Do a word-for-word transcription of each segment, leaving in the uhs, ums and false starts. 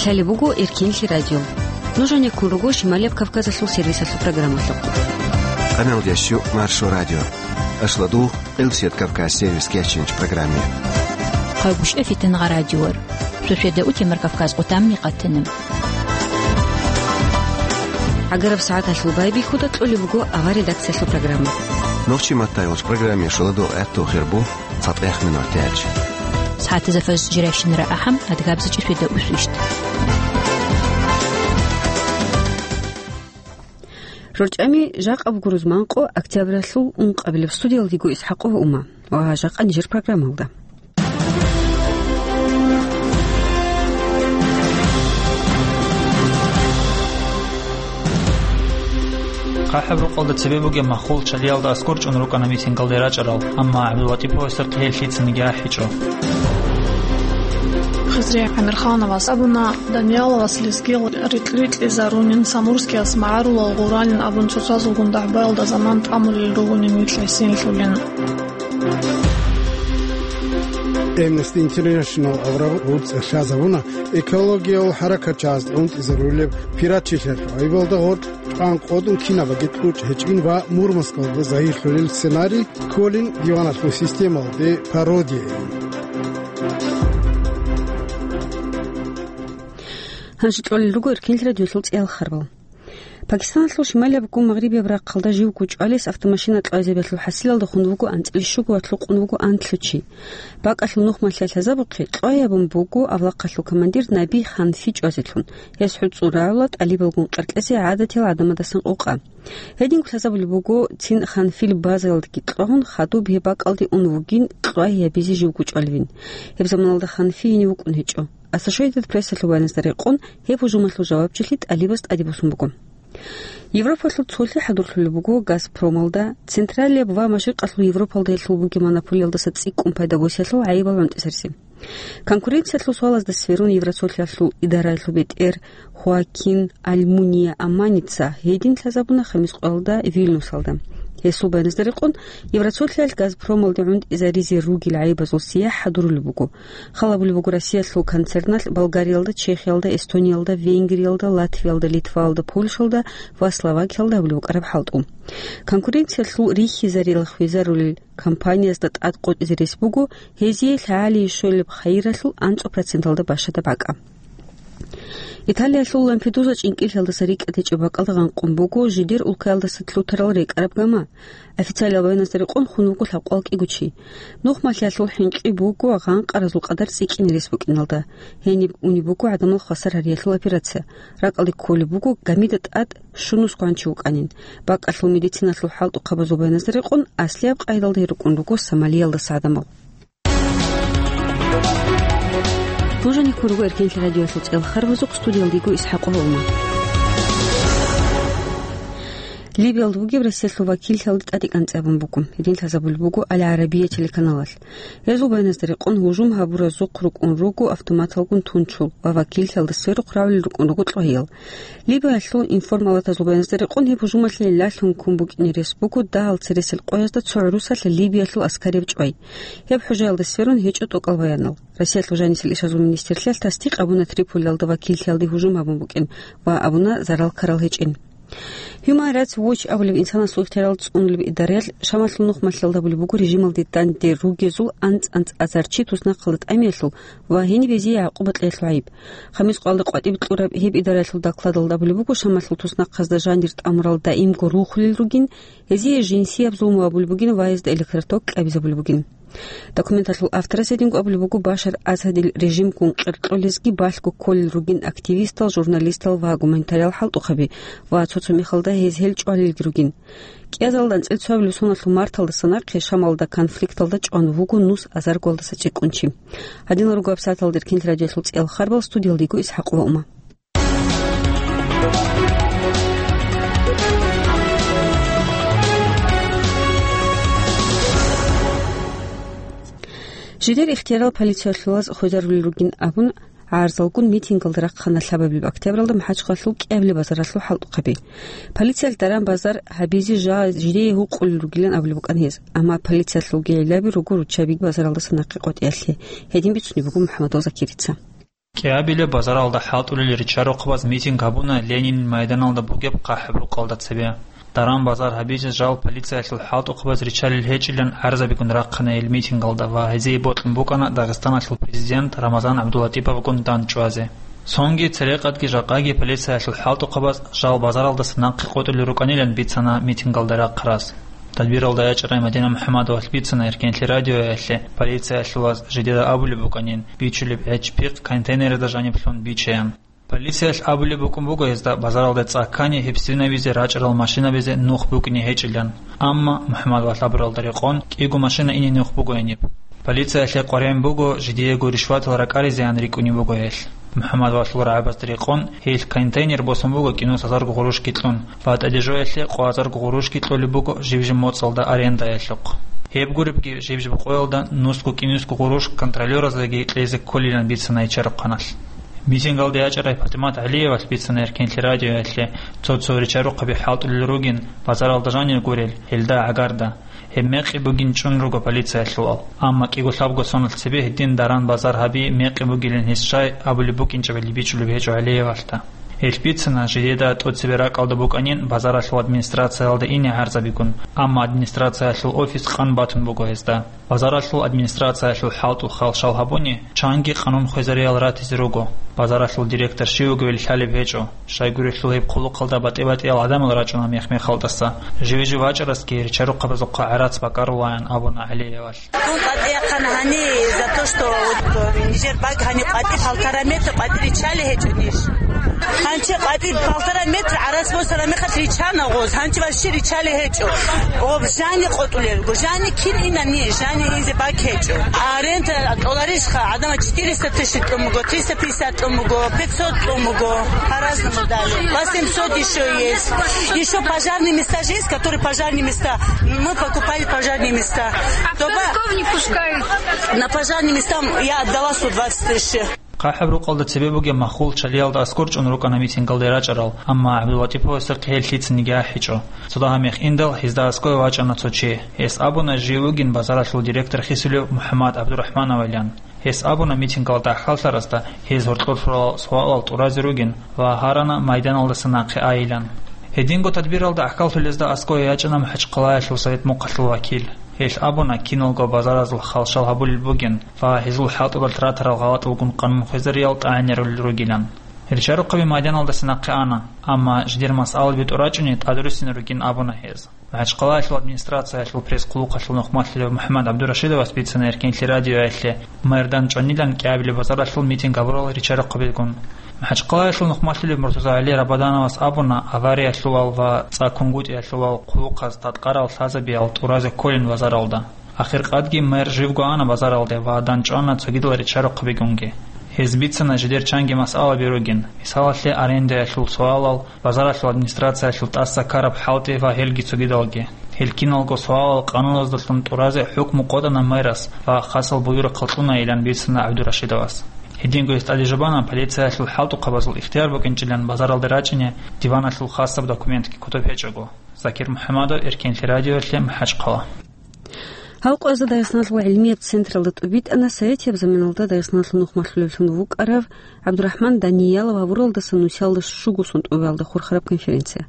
Лъалеб буго Эркинлъи радио. Нуж гьанеккун руго Шималияб Кавказалъул сервисалъул программалъухъ. Къаналдящу Маршо радио. Ашладу Къилсият Кавказ сервис кечинч программе. Хъагушев Фитангъа радиор. Суседа утемар Кавказ къутамни къатана. ГӀагараб сагӀаталъул байбихьуда кьолеб буго авар редакциялъул программа. Нохчи маттайолч программе шуладу гӀатту хирбу. ЦатӀехъ минутаялъ. СагӀатазда фаз жирайщинара ахӀам, адгабза чӀисвида усвищ. РорчӀами жакъа буго рузманкъо октябралъул ункъабилеб. Студиялдего Исхакъова Ума ва жакъа нижер программалда. ХъахӀаб рукъалда цебе бугеб маххул чалиялда аскӀор чӀун рукӀана митингалде рачӀарал, амма ГӀабдуллатӀиповасда хъел лъицаниги ахӀичӀо. Хизри ГӀамирхановас абуна, Данияловас лезгиял рикь-рикьизарунин, Самурскияс магӀарулал гъуранин абун цоцазулгун дагӀбаялда заман тӀамулел ругонин вилълъи гьесинлъулин. Amnesty International аварагас гӀурцӀа лъазабуна экологиял хӀаракатчиясда гӀунтӀизарулеб пиратчилъиялъул гӀайибалда гъоркь тӀан къодун кинабаги кьучӀ гьечӀин ва Мурманскалда загьирлъулел сценарий кколин диваналъул системалде пародияйин. Гьанже кьолел руго Эркинлъи радиолъул цӀеял харбал. Пакистаналъул шималияб гун магърибияб рахъалда живго чӀвалес автомашина кьвайзабиялъул хӀасилалда хун вуго анцӀила щуго ва лъукъун вуго анлъго чи. БакӀалъул нухмалъиялъ лъазабухъе, кьвай абун буго авлахъалъул командир Наби Ханфи чӀвазелъун. Гьес хӀуцӀун рагӀула тӀалибалгун къеркьезе гӀадатиял гӀадамадасан къокъа. Гьединго лъазабулеб буго, цин Ханфил базаялдаги кьвагьун, хадуб гьеб бакӀалде ун вугин кьвай гьабизе живго чӀваливин. Гьеб заманалда Ханфи гьенив вукӀун гьечӀо. Ассошейтед Прессалъул баяназда рекъон, гьеб гьужумалъул жавабчилъи тӀалибаз тӀаде босун буго. Европалъул цолъи хӀадурлъулеб буго Газпромалда, Централияб ва Машрикъалъул Европалда гьелъул бугеб монополиялдаса цӀикӀкӀун пайда босиялъул гӀайибал гӀунтӀизаризе. Конкуренциялъул суалазда сверун Евроцолъиялъул идараялъул бетӀер Хоакин Альмуния Аманица гьедин лъазабуна хамис къоялда Вильнюсалда. Гьесул баяназда рекъон, Евроцолъиялъ Газпромалде гӀунтӀизаризе ругел гӀайибазул сияхӀ хӀадурулеб буго. Хал гьабулеб буго Россиялъул концерналъ Болгариялда, Чехиялда, Эстониялда, Венгриялда, Латвиялда, Литваялда, Польшалда ва Словакиялда гьабулеб букӀараб хӀалтӀу. Конкуренциялъул рихьизарилан хвезарулел компаниязда тӀад къотӀизе рес буго, гьезие лъагӀалие щолеб хайиралъул анцӀго проценталда бащадаб бакӀа. Италиялъул Лампедуза чӀинкӀиллъиялдаса рикӀкӀад гьечӀеб бакӀалда гъанкъун буго, жидер улкаялдаса лъутарал рекӀараб гама. Официалиял баяназда рекъон хун вуго лъабкъоялда кӀиго чи. Нухмалъиялъул хӀинкъи буго гъанкъаразул къадар цӀикӀкӀине рес букӀиналда. Гьениб унеб буго гӀадамал хвасар гьариялъул операция. РакӀалде кколеб буго гамида тӀад щунусгоян чи вукӀанин. БакӀалъул медициналъул хӀалтӀухъабазул баяназда рекъон, аслияб къайдалда гьел рукӀун руго Сомалиялдаса гӀадамал. Нуж гьанеккун руго Эркинлъи радиоялъул цӀеял харбазухъ, студиялда йиго Исхакъова Ума. Либиялда бугеб Россиялъул вакиллъиялде тӀаде кӀанцӀи абун буго. Гьедин лъазабулеб буго Аль-Гьарабия телеканалалъ. Гьезул баяназда рекъон, гьужум гьабуразухъ рукӀун руго автоматалгун тунчул ва вакиллъиялда сверухъ равулел рукӀун руго кьваял. Либиялъул информалатазул баяназда рекъон, гьеб гьужумалъе лъалъун ккун букӀине рес буго дагьал цересел къоязда цо гӀурусалъ Либиялъул аскарияб чӀвай. Гьеб хӀужаялда сверун гьечӀо тӀокӀал баянал. Россиялъул жанисел ишазул министрлъиялъ тасдикъ абуна Триполиялда вакиллъиялде гьужум гьабун букӀин ва абуна зарал ккарал гьечӀин. Human Rights Watch абулеб инсанасул ихтиярал цӀунулеб идараялъ Шамалъул нухмалъиялда гьабулеб буго режималде данде ругезул анцӀ-анцӀазар чи туснахъалда тӀамиялъул ва гьениб гьезие гӀакъуба кьеялъул гӀайиб. Хамис къоялда къватӀиб кьураб гьеб идараялъул докладалда абулеб буго, Шамалъул туснахъазда жанир тӀамурал даимго рухулел ругин, гьезие жинсияб зулму гьабулеб бугин ва гьезда электроток кьабизабулеб бугин. Документалъул авторас гьединго абулеб буго Башар Асадил режимгун къеркьолезги балъго кколел ругин активистал, журналистал ва гуманитариял хӀалтӀухъаби ва цо-цо мехалда гьез гьел чӀвалелги ругин. КӀиазалда анцӀила цоабилеб соналъул марталдаса нахъе Шамалда конфликталда чӀван вуго нус азаргоялдаса цӀикӀкӀун чи. Гьадинал руго гьабсагӀаталда Эркинлъи радиоялъул цӀеял харбал, студиялда йиго Исхакъова Ума. Жидер ихтиярал полициялъулаз хвезарулел ругин абун, гӀарзалгун митингалда рахъана лъабабилеб октябралда МахӀачхъалъул кӀиабилеб базаралъул хӀалтӀухъаби. Полициялъ даран базар гьабизе жа жидее гьукъулел ругилан абулеб букӀана гьез, амма полициялъулги гӀиллаби руго руччабиги базаралдаса нахъе къотӀиялъе, гьедин бицунеб буго МухӀаммадов Закирица. КӀиабилеб базаралда хӀалтӀулел ричарухъабаз митинг гьабуна Ленинил майданалда бугеб ХъахӀаб рукъалда цебе. Даран-базар гьабизе жал полициялъул хӀалтӀухъабаз ричалел гьечӀилан гӀарзабигун рахъана гьел митингалда ва гьезие бокьун букӀана Дагъистаналъул президент Рамазан ГӀабдулатӀиповгун дандчӀвазе. Цонги, церекъадги жакъаги полициялъул хӀалтӀухъабаз жал базаралдаса нахъе къотӀулел рукӀанилан бицана митингалда рахъараз. Тадбиралда ячӀарай Мадина МухӀаммадовалъ бицана Эркенлъи радиоялъе, полициялъулаз жидеда абулеб букӀанин, бичулеб гӀеч-пихъ контейнерда жаниб лъун бичеян. Полициялъ абулеб букӀун буго гьезда базаралда цӀа ккани гьеб свинабизе рачӀарал машинабизе нух букӀине гьечӀилан. Амма МухӀаммадовалъ абуралда рекъон кӀиго машина ине нух буго гьениб. Полициялъе къваригӀун буго, жидеего ришватал ракӀаризеян рикӀкӀунеб буго гьелъ. МухӀаммадовалъул рагӀабазда рекъон, гьелъ контейнер босун буго кӀинусазарго гъурущги кьун ва тӀадежоялъе къоазарго гъурущги кьолеб буго жиб-жиб моцӀалда арендаялъухъ. Гьеб гуребги, жиб-жиб къоялда нусго-кӀинусго гъурущ контролёраздаги кьезе кколилан бицана ичарухъаналъ. Митингалде ячӀарай ПатӀимат ГӀалиевалъ бицана Эркенлъи радиоялъе, цо-цо ричарухъаби хӀалтӀулел ругин, базаралда жанир гурел, гьелда гӀагарда. Гьеб мекъи бугин чӀун руго полициялъулал. Амма кӀиго-лъабго соналъ цебе гьедин даран-базар гьаби мекъи бугилан гьес щай абулеб букӀинчӀебали бичӀчӀулеб гьечӀо ГӀалиевалъда. Гьелъ бицана, жидеда тӀоцебе ракӀалда букӀанин базаралъул администрациялда ине гӀарзабигун, амма администрациялъул офис къан батун буго гьезда. Базаралъул администрациялъул хӀалтӀул халшал гьабуни, чанги къанун хвезариял ратизе руго. Базаралъул директор щив вугевали лъалеб гьечӀо. Щайгурелъул гьеб хъулухъалда батӀи-батӀиял гӀадамал рачӀуна мех-мехалдаса. Живе-жив вачӀарасги ричарухъабазухъа гӀарац бакӀарулаян абуна ГӀалиевалъ. Дун къватӀи яхъана гьани за то, что вот, э, нижер бакӀ гьани къватӀи полтора метр къватӀи ричалей гьечӀо ниж. Гьанчи къватӀи полтора метр гӀарац босара мехалъ ричана гъоз, гьанчи вообще ричалей гьечӀо. Гъоб жани къотӀулел руго, жани кин инани, жани инзе бакӀ гьечӀо. Аренда тӀоларищха, гӀадамал четыреста тысяч тӀун буго, триста пятьдесят тӀун буго, пятьсот тӀун буго, по-разному дали. Восемьсот ещё есть. Ещё пожарные места же есть, которые пожарные места. Мы покупали пожарные места. А в Тоба- Подмосковье не пускают. На пожарные места я отдала сто двадцать тысяч. ХъахӀаб рукъалда цебе бугеб махул чалиялда аскӀор чӀун рукӀана митингалде рачӀарал, амма ГӀабдулатӀиповасухъ гьел лъицаниги ахӀичӀо. Цо дагьа мех индал гьезда аскӀове вачӀана цо чи. Гьес абуна жив вугин базаралъул директор хисулев МухӀаммад ГӀабдурахӀмановилан. Гьес абуна митингалда гӀахьаллъарасда гьез гьоркьор лъурал суалал тӀуразе ругин ва гьарана майданалдаса нахъе айилан. Гьединго тадбиралда гӀахьаллъулезда аскӀове ячӀана МахӀачхъалаялъул Совет мухъалъул вакил. Гьелъ абуна киналго базаразул халшал гьабулел бугин ва гьезул хӀалтӀудалъ ратарал гъалатӀалгун къанун хвезариял тӀагӀинарулел ругилан. Ричарухъаби майданалдаса нахъе ана, амма жидер масъалаби тӀурачӀуни тӀадруссина ругин абуна гьез. МахӀачхъалаялъул администрациялъул пресс-хъулухъалъул нухмалъулев МухӀаммад ГӀабдурашидовас бицана Эркенлъи радиоялъе, майдан чӀванилан КӀиабилеб базаралъул митинг гьабурал ричарухъабилгун. МахӀачхъалаялъул нухмалъулев МуртазагӀали Рабадановас абуна авариялъувал ва цӀа кунгутӀиялъувал хъулухъаз таткъарал лъазабиял тӀуразе кколин базаралда. Ахиркъадги мэр живго ана базаралде ва дандчӀвана цогидал ричарухъабигунги. Гьез бицана жидер чанги масъалаби ругин, мисалалъе, арендаялъул суалал, базаралъул администрациялъул тӀаса ккараб хӀалтӀи ва гьелги цогидалги. Гьел киналго суалал къануназдалъун тӀуразе хӀукму къотӀана мэрас ва хасал буюрахъал кьунаилан бицана ГӀабдурашидовас. Гьединго гьес тӀаде жубана полициялъул хӀалтӀухъабазул ихтияр букӀинчӀилан базаралде рачӀине диваналъул хасаб документги кутаб гьечӀого. Закир МухӀаммадов, Эркенлъи радиоялъе, МахӀачхъала. Гьав къваза Дагъистаналъул гӀилмияб централда тӀубитӀана советияб заманалда Дагъистаналъул нухмалъулевлъун вукӀарав ГӀабдурахӀман Даниялов гьавуралдаса нусиялда щуго сон тӀубалда хурхараб конференция.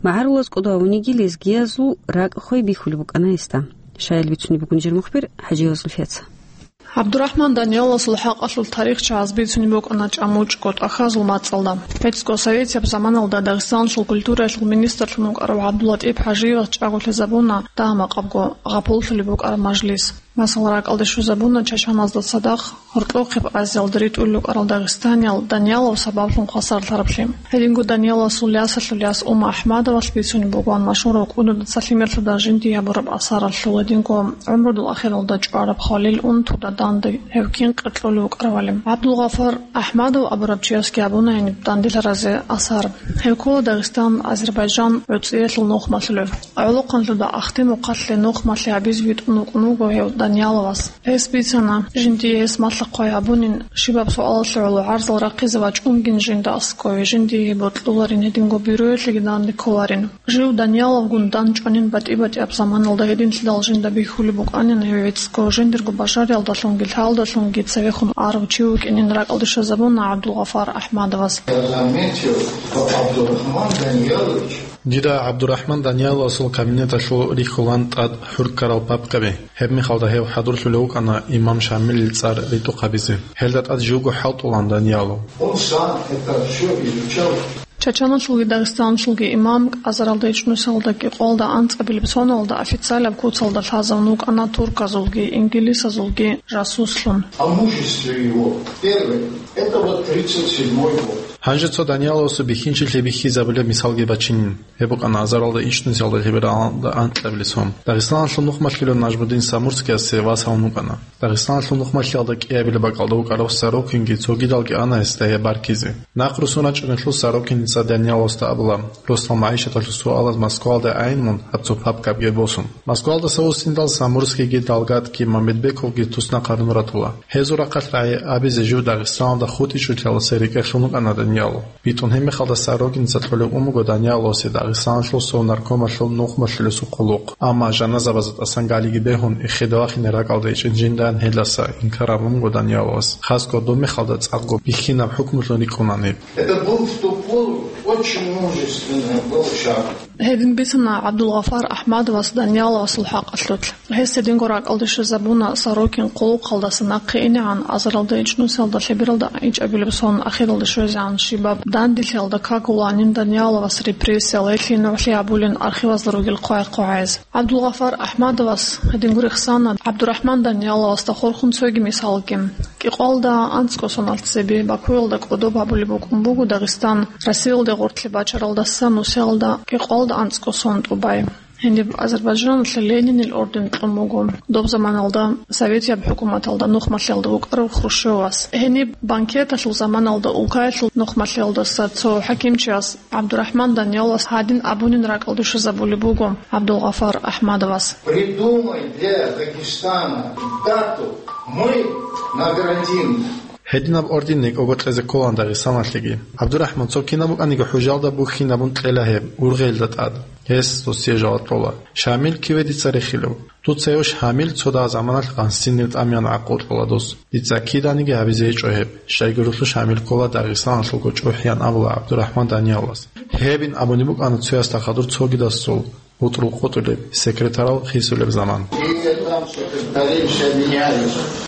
МагӀарулаз кӀодо гьавуниги лезгиязул ракӀ хвей бихьулеб букӀана гьесда. Щаял бицунеб бугун жер мухбир ХӀажиева Зульфияца. ГӀабдурахӀман Данияловасул хӀакъалъулъ тарихчияз бицунеб букӀана чӀамучӀго тӀахьазул мацӀалда. ГӀицӀго советияб заманалда Дагъистаналъул культураялъул министрлъун вукӀарав ГӀабдулатӀип ХӀажиевас чӀаголъизабуна дагьа-макъабго гъапуллъулеб букӀараб мажлис. Масала, ракӀалде щвезабуна Чачаназда цадахъ гьоркьохъеб Азиялда ритӀулел рукӀарал дагъистаниял Даниялов сабаблъун хвасарлъараблъи. Гьединго Данияловасул ясалъул яс Ума АхӀмадовалъ бицунеб бугоан машгьурав кӀудуда цалъи мерлъуда жиндие гьабураб асаралъул, гьединго гӀумрудул ахиралда чӀвараб Халил Унтуда данде гьев кин къеркьулев вукӀаравали. ГӀабдулгъафар АхӀмадов абураб чиясги гьабуна гьениб данделъаразе асар. Гьев ккола Дагъистан, Азербайджан гӀуцӀиялъул нухмалъулев. ГӀолохъанлъуда Ахтимухъалъе нухмалъи гьабизе витӀун вукӀун вуго гьев. Данияловас. Гьес бицана, жиндие гьес малъа-хъвай гьабунин, щибаб суалалъе гӀоло гӀарзал рахъизе вачӀунгин жинда аскӀове, жиндие бокьуларин, гьединго бюроялъеги данде кколарин. Жив Данияловгун дандчӀванин батӀи-батӀияб заманалда, гьединлъидал жинда бихьулеб букӀанин гьев гӀицӀго, жиндирго бажариялдалъунги лъалдалъунги цевехун арав чи вукӀинин ракӀалде щвезабуна ГӀабдулгъафар АхӀмадовас. Я заметил, что Абдурахман Даниялович. Дида ГӀабдурахӀман Данияловасул кабинеталъул рихьулан тӀад хӀурккарал папкаби, гьеб мехалда гьев хӀадурлъулев вукӀана имам Шамилил цӀар ритӀухъ гьабизе. Гьелда тӀад живго хӀалтӀулан Даниялов. Он сам это всё изучал. Чачаналъулги Дагъистаналъулги имам азаралда ичӀнусиялда кӀикъоялда анцӀабилеб соналда официалаб куцалда лъазавун вукӀана турказулги, ингилисазулги жасуслъун. О мужестве его. Первый. Это вот тридцать седьмой год. Гьанже цо Данияловасул бихьинчилъи бихьизабулеб мисалги бачинин. Гьеб букӀана азаралда ичӀнусиялда лъебералда анкьабилеб сон. Дагъистаналъул нухмалъулев Нажмудин Самурскиясе вас гьавун вукӀана. Дагъистаналъул нухмалъиялда кӀиабилеб бакӀалда вукӀарав Сорокинги цогидалги ана гьесда гьеб баркизе. Нахъ руссун рачӀунелъул Сорокиница Данияловасда абула, росдал магӀишаталъул суалаз Москвалда айин мун гьаб цо папкабги босун. Москвалдаса вуссиндал Самурскийги Далгатги Мамедбековги туснахъ гьарун ратула. Гьезул рахъалъ рагӀи абизе жив Дагъистаналда хутӀичӀолъияласе рекӀелъун вукӀана Даниялов. БитӀун гьеб мехалда Сорокинца кьолеб ун буго Данияловасе Дагъистаналъул Совнаркомалъул нухмалъулесул хъулухъ, амма жаназабазда тӀасан галиги бегьун, эхеде вахине ракӀалда ичӀин жиндан гьелдаса инкар гьабун буго Данияловас. Хасго доб мехалда цӀакъго бихьинаб хӀукмулъун рикӀкӀунани. Это был в ту пору очень мужественный был шаг. Гьедин бицана ГӀабдулгъафар АхӀмадовас Данияловасул хӀакъалъулъ. Гьес гьединго ракӀалде щвезабуна Сорокин хъулухъалдаса нахъе инегӀан азаралда ичӀнусиялда лъебералда ичӀабилеб сон ахиралде щвезегӀан щибаб данделъиялда кагуланин Данияловас репрессиял гьелъие нугӀлъи гьабулин архивазда ругел хъвай-хъвагӀазе. ГӀабдулгъафар АхӀмадовас гьединго рехсана ГӀабдурахӀман Данияловасда хурхун цоги мисалги. КӀикъоялда анцӀго соналъ цебе Бакуялда кӀодоб гьабулеб букӀун буго Дагъистан Россиялде гъоркье бачаралдаса нусиялда кӀикъоялда анцӀго сон тӀубай. Гьениб Азербайджаналъе Ленинил орден кьун буго, доб заманалда советияб хӀукуматалда нухмалъиялда вукӀарав Хрущевас. Гьениб банкеталъул заманалда улкаялъул нухмалъиялдаса цо хӀакимчияс ГӀабдурахӀман Данияловас гьадин абунин ракӀалде щвезабулеб буго ГӀабдулгъафар АхӀмадовас. Придумай для Дагестана дату, мы наградим. Гьединаб орден некӀого кьезе кколаан Дагъистаналъеги. ГӀабдурахӀман, цо кинаб букӀаниги хӀужалда бухьинабун кьела гьеб, ургъелда тӀад. Гьес досие жаваб кьола: «Шамил киве дица рехилев? Дуца гьев Шамил цо дагь заманалъ гъансинив тӀамиян гӀакъуба кьола дос. Дица киданиги гьабизе гьечӀо гьеб, щайгурелъул Шамил ккола Дагъистаналъулго чӀухӀиян», — абула ГӀабдурахӀман Данияловас. Гьебин абунеб букӀана цоясда хадур цогидасул бутӀрул къотӀулеб, секретарал хисулеб заман.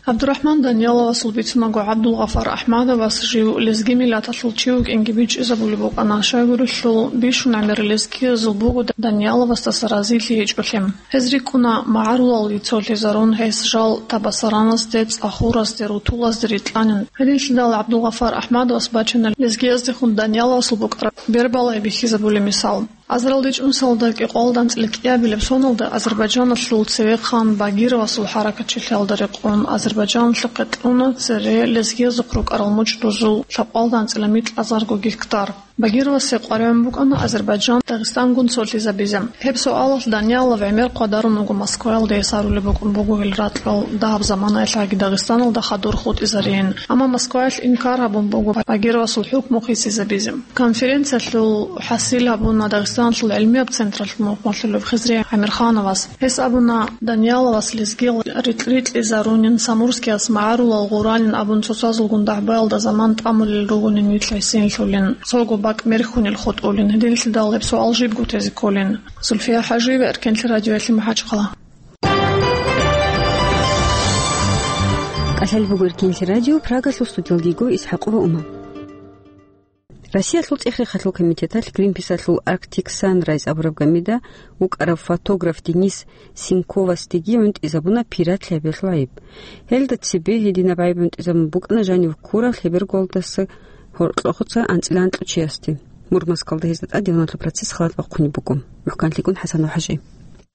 ГӀабдурахӀман Данияловасул бицунаго ГӀабдулгъафар АхӀмадовас жив лезги миллаталъул чи вукӀинги бичӀчӀизабулеб букӀана, щайгурелъул бищун гӀемер лезгиязул буго Данияловасдаса разилъи гьечӀолъи. Гьез рикӀкӀуна магӀарулал йицолъизарун, гьес жал Табасаранасде, ЦӀахурасде, Рутулазде рикьанин. Гьединлъидал ГӀабдулгъафар АхӀмадовас бачана лезгияздехун Данияловасул букӀараб бербалай бихьизабулеб мисал. Азаралда ичӀнусалда кӀикъоялда анцӀила кӀиабилеб соналда Азербайджаналъул цевехъан Багировасул хӀаракатчилъиялда рекъон Азербайджаналъухъе кьуна цере лезгиязухъ рукӀарал мучӀдузул лъабкъоялда анцӀила микьазарго гектар. Багировасе къваригӀун букӀана Азербайджан Дагъистангун цолъизабизе. Гьеб суалалъ Даниялов гӀемер хъвадарун вуго Москваялда, гьес гьарулеб букӀун буго гьел ракьал дагьаб заманаялъ гьаги Дагъистаналда хадур хутӀизариин. Амма Москваялъ инкар гьабун буго Багировасул хӀукму хисизабизе. Конференциялъул хӀасил гьабуна Дагъистаналъул гӀилмияб централъул мухӀмалъулев Хизри ГӀамирхановас. Гьес абуна, Данияловас лезгиял рикь-рикьизарунин, Самурскияс магӀарулал гъуранин абун цоцазулгун дагӀбаялда заман тӀамулел ругонин вилълъайсинлъулин, цого бакӀ мерхьунел хутӀулин, гьединлъидал гьеб суал жибго тезе кколин. Зульфия ХӀажиева, Эркенлъи радиоялъе МахӀачхъала. КӀалъалеб буго Эркенлъи радио, Прагалъул студиялдего ИсхӀакъова Ума. Россиялъул ЦӀехи халъул комитеталъ Гринписалъул Arctic Sunrise абураб гамида вукӀарав фотограф Денис Синьковасдеги гӀунтӀизабуна пиратли гьабиялъул гӀайиб. Гьелда цебе гьединаб гӀайиб гӀунтӀизабун букӀана жанив ккурав лъеберголдаса гьоркьохъуца анцӀила анкьучиясде. Мурманскалда гьезда тӀадегӀанлъул процесс халат бахъунеб буго. МухӀканлъикӀун ХӀасанов ХӀажи.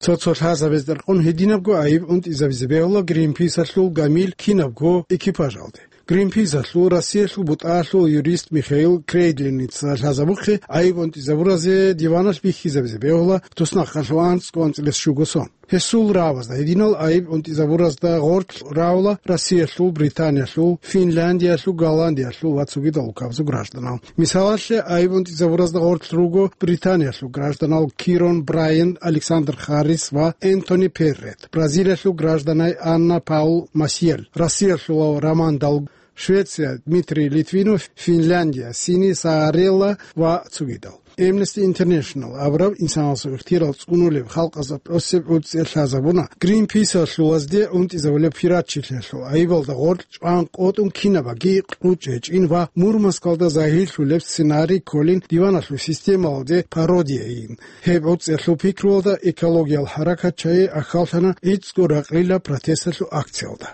Цо-цо лъазабазда рекъон гьединабго гӀайиб гӀунтӀизабизе бегьула Гринписалъул гамил кинабго экипажалде. Гринписалъул Россиялъул бутӀаялъул юрист Михаил Крейдлиница лъазабухъе гӀайиб унтӀизабуразе диваналъ бихьизабизе бегьула туснахъалъув анцӀго анцӀилес щуго сон. Гьесул равазда гьединал гӀайиб унтӀизабуразда гъорлъ рагӀула Россиялъул, Британиялъул, Финляндиялъул, Голландиялъул ва цогидал улкабазул гражданал. Мисалалъе, гӀайиб унтӀизабуразда гъорлъ руго Британиялъул гражданал Кирон Брайан, Александр Харрис ва Энтони Перрет, Бразилиялъул гражданай Анна Паул Масиел, Россиялъулав Роман Дал-, Швеция, Дмитрий Литвинов, Финляндия, Сини Саарелла ва цогидал. Amnesty International абураб инсаналъул ихтияр цӀунулеб халкъазда тӀосеб гӀуцӀиялъ лъазабуна Гринписалъулазде унтӀизабулеб пиратчилъиялъул гӀайибалда гъорлъ чӀван къотӀун кинабаги кьучӀ гьечӀин ва Мурманскалда загьирлъулеб сценарий кколин диваналъул системалде пародияйин. Гьеб гӀуцӀиялъул пикруялда экологиял хӀаракатчагӀи ахьаллъана гӀицӀго ракълила протесталъул акциялда.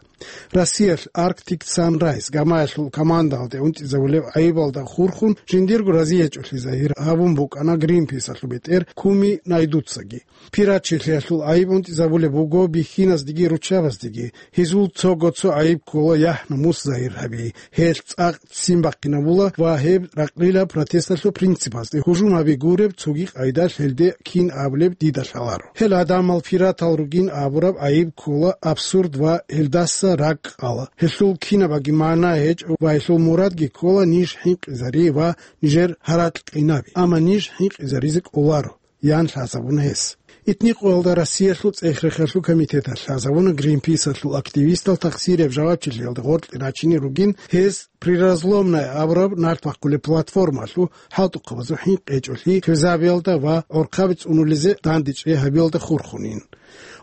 Россиялъ Arctic Sunrise гамаялъул командалде унтӀизабулеб гӀайибалда хурхун жиндирго разиячӀулъи загьир гьабун букӀана Гринписалъул бетӀер Куми Найдуцаги. Пиратчилъиялъул гӀайиб унтӀизабулеб буго бихьиназдаги руччабаздаги. Гьезул цого-цо гӀайиб ккола яхӀ-намус загьир гьаби, гьелъ цӀакъ ццин бахъинабула ва гьеб ракълила протесталъул принципазде гьужум гьаби гуреб цоги къайдалъ гьелде кин абулеб дида лъаларо. Гьел гӀадамал пиратал ругин абураб гӀайиб ккола абсурд ва гьелдаса ракӀ къала. Гьелъул кинабаги магӀна гьечӀо ва гьелъул мурадги ккола ниж хӀинкъизари ва нижер гьаракь къинаби, амма ниж хӀинкъизаризе кӀоларо, ян лъазабуна гьес. Итникъоялда Россиялъул цӀех-рехалъул комитеталъ лъазабуна Гринписалъул активистал тахсираб жавабчилъиялда гъоркье рачине ругин гьез Приразломная абураб нарт бахъулеб платформалъул хӀалтӀухъабазул хӀинкъи гьечӀолъи хвезабиялда ва гӀорхъаби цӀунулезе дандечӀей гьабиялда хурхунин.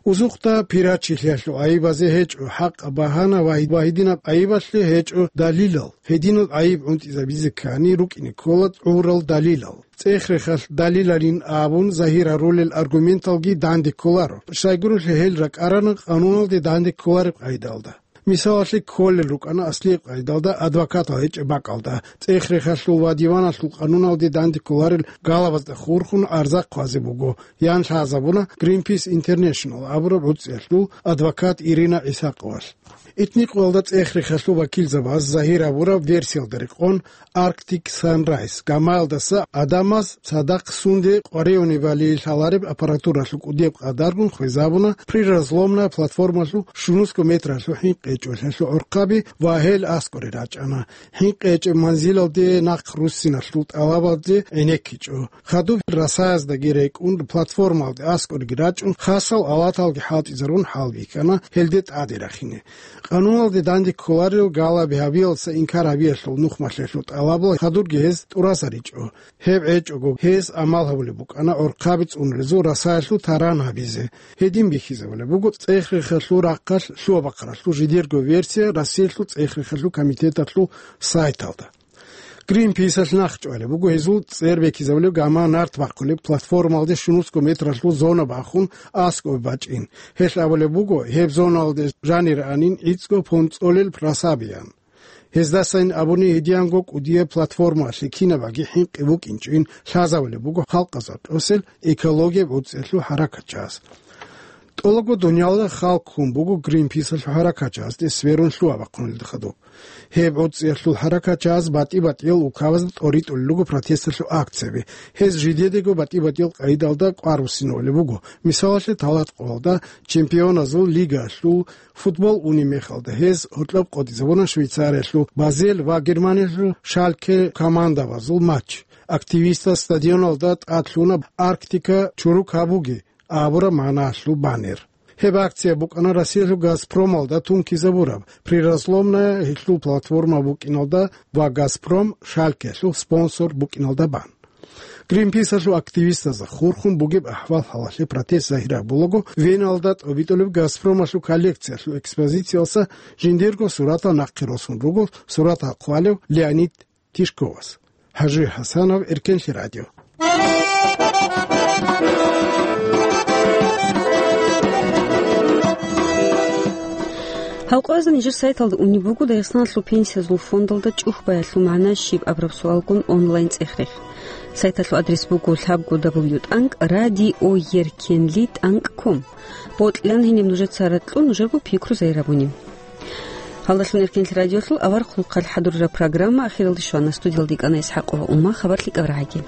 Узухъда пиратчилъиялъул гӀайибазе гьечӀо хӀакъаб багьана ва гьи-, ва гьединаб гӀайибалъе гьечӀо далилал. Гьединал гӀайиб гӀунтӀизабизе ккани рукӀине ккола гӀурал далилал. ЦӀех-рехалъ далилалин абун загьир гьарулел аргументалги данде кколаро, щайгурелъул гьел ракӀарана къануналде данде кколареб къайдалда. Мисалалъе кколел рукӀана аслияб къайдалда адвокатал гьечӀеб бакӀалда, цӀех-рехалъул ва диваналъул къануналде данде кколарел галабазда хурхун гӀарза хъвазе буго, ян лъазабуна Greenpeace International абураб гӀуцӀиялъул адвокат Ирина ГӀисакъовалъ. Итникъоялда цӀех-рехалъул вакилзабаз загьир гьабураб версиялда рекъон, Arctic Sunrise гамаялдаса гӀадамаз цадахъ сунде къваригӀунебали лъалареб аппаратуралъул кӀудияб къадаргун хвезабуна приразломная платформалъул щунусго метралъул хӀинкъи гьечӀолъиялъул гӀорхъаби ва гьел аскӀоре рачӀана. ХӀинкъи гьечӀеб манзилалде нахъ руссиналъул тӀалабазде гӀенеккичӀо. Хадуб расаяздаги рекӀун, платформалде аскӀореги рачӀун, хасал алаталги хӀалтӀизарун хӀалбихьана гьелде тӀаде рахине. Къануналде данде кколарел галаби гьабиялдаса инкар гьабиялъул нухмалъиялъул тӀалабал хадурги гьез тӀурасаричӀо. Гьеб гьечӀого, гьез амал гьабулеб букӀана гӀорхъаби цӀунрезул расаялъул таран гьабизе. Гьедин бихьизабулеб буго цӀех-рехалъул рахъалъ лъугьа-бахъаралъул жидерго версия Россиялъул цӀех-рехалъул комитеталъул сайталда. Гринписалъ нахъчӀвалеб буго гьезул цӀер бекизабулеб гама нарт бахъулеб платформалде щунусго метралъул зона бахун аскӀоб бачӀин. Гьелъ абулеб буго, гьеб зоналде жанир анин гӀицӀго понцӀолел расабиян. Гьездасайин абуни гьедиянго кӀудияб платформалъе кинабаги хӀинкъи букӀинчӀин лъазабулеб буго халкъазда тӀосел экологияб гӀуцӀиялъул хӀаракатчагьаз. ТӀолаго дунялда халкъ хун буго Гринписалъул хӀаракатчагьазде сверун лъугьа-бахъунелда хадуб. Гьеб гӀуцӀиялъул хӀаракатчагьаз батӀи-батӀиял улкабазда тӀоритӀулел руго протесталъул акцияби. Гьез жидедаго батӀи-батӀиял къайдалда кӀвар буссинавулеб буго. Мисалалъе, талатӀкъоялда Чемпионазул лигаялъул футбол унеб мехалда гьез гьоркьоб къотӀизабуна Швейцариялъул Базель ва Германиялъул Шальке командабазул матч. Активистаз стадионалда тӀад лъуна «Арктика чурукабуге» абураб магӀналъул баннер. Гьеб акция букӀана Россиялъул «Газпромалда» тункизабураб, приразломная гьелъул платформа букӀиналда ва «Газпром» Шалькелъул спонсор букӀиналда бан. Гринписалъул активистазда хурхун бугеб ахӀвал-хӀалалъе протест загьир гьабулаго, Веналда тӀобитӀулеб «Газпромалъул» коллекциялъул экспозициялдаса жиндирго суратал нахъе росун руго, суратал хъвалев Леонид Тишковас. ХӀажи ХӀасанов, Эркенлъи радио. Гьал къоязда нижер сайталда унеб буго Дагъистаналъул пенсиязул фондалда чӀухӀбаялъул магӀна щиб абураб суалгун онлайн цӀех-рех. Сайталъул адрес буго лъабго дабл ю тӀанкӀ радио еркенли тӀанкӀ ком. Бокьилан гьениб нужеца ракьун нужерго пикру загьир гьабуни. Гьалдалъун Эркенлъи радиолъул аварагасул хъалхъ хӀадураб программа ахиралде щвана. Студиялда йикӀана ИсхӀакъова Умма. Хабар лъикӀаб рагӀаги.